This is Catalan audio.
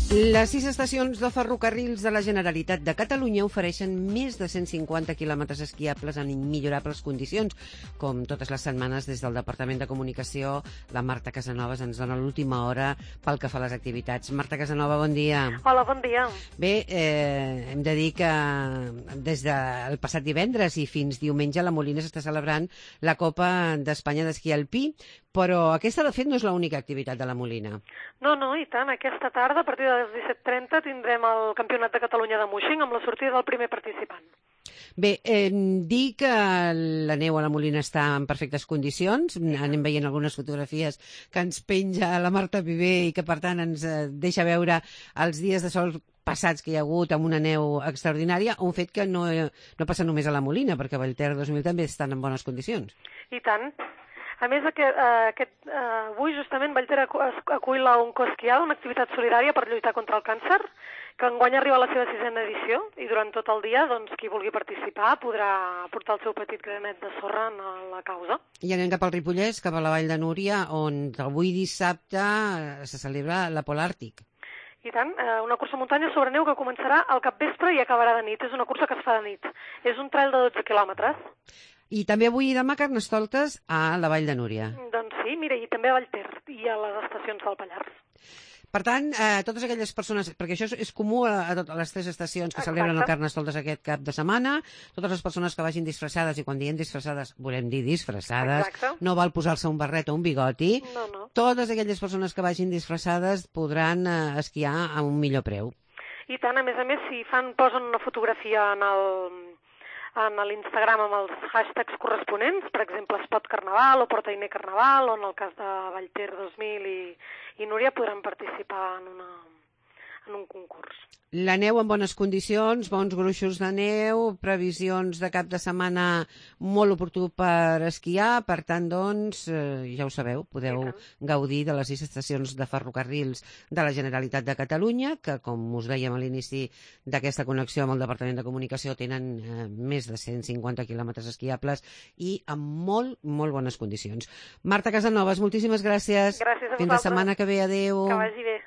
Les 6 estacions de ferrocarrils de la Generalitat de Catalunya ofereixen més de 150 quilòmetres esquiables en immillorables condicions. Com totes les setmanes, des del Departament de Comunicació, la Marta Casanovas ens dona l'última hora pel que fa a les activitats. Marta Casanova, bon dia. Hola, bon dia. Bé, hem de dir que des del passat divendres i fins diumenge la Molina s'està celebrant la Copa d'Espanya d'esquí alpí, però aquesta, de fet, no és l'única activitat de la Molina. No, i tant. Aquesta tarda, a partir de les 17:30, tindrem el Campionat de Catalunya de Muixing amb la sortida del primer participant. Bé, dir que la neu a la Molina està en perfectes condicions. Anem veient algunes fotografies que ens penja la Marta Viver i que, per tant, ens deixa veure els dies de sol passats que hi ha hagut amb una neu extraordinària, un fet que no passa només a la Molina, perquè a Vallter 2000 també estan en bones condicions. I tant. A més, avui justament Vallter acull la Oncoesquiada, una activitat solidària per lluitar contra el càncer, que enguany arriba a la seva 6a edició, i durant tot el dia, doncs, qui vulgui participar podrà portar el seu petit granet de sorra en la causa. I anem cap al Ripollès, cap a la Vall de Núria, on avui dissabte se celebra la Polàrtic. I tant, una cursa muntanya sobre neu que començarà al capvespre i acabarà de nit. És una cursa que es fa de nit. És un trail de 12 quilòmetres. I també avui i demà Carnestoltes a la Vall de Núria. Doncs sí, mira, i també a Vallter i a les estacions del Pallars. Per tant, totes aquelles persones, perquè això és comú a totes les 3 estacions que celebren el Carnestoltes aquest cap de setmana, totes les persones que vagin disfressades, i quan diem disfressades, volem dir disfressades, no val posar-se un barret o un bigoti, totes aquelles persones que vagin disfressades podran esquiar a un millor preu. I tant, a més, si posen una fotografia en l'Instagram amb els hashtags corresponents, per exemple, Spot Carnaval o Portainer Carnaval, o en el cas de Vallter 2000 i Núria podran participar en un concurs. La neu en bones condicions, bons gruixos de neu, previsions de cap de setmana molt oportú per esquiar, per tant, doncs, ja ho sabeu, podeu gaudir de les 6 estacions de ferrocarrils de la Generalitat de Catalunya, que, com us dèiem a l'inici d'aquesta connexió amb el Departament de Comunicació, tenen més de 150 quilòmetres esquiables i en molt, molt bones condicions. Marta Casanovas, moltíssimes gràcies. Gràcies a vosaltres. Fins la setmana que ve, adeu. Que vagi bé.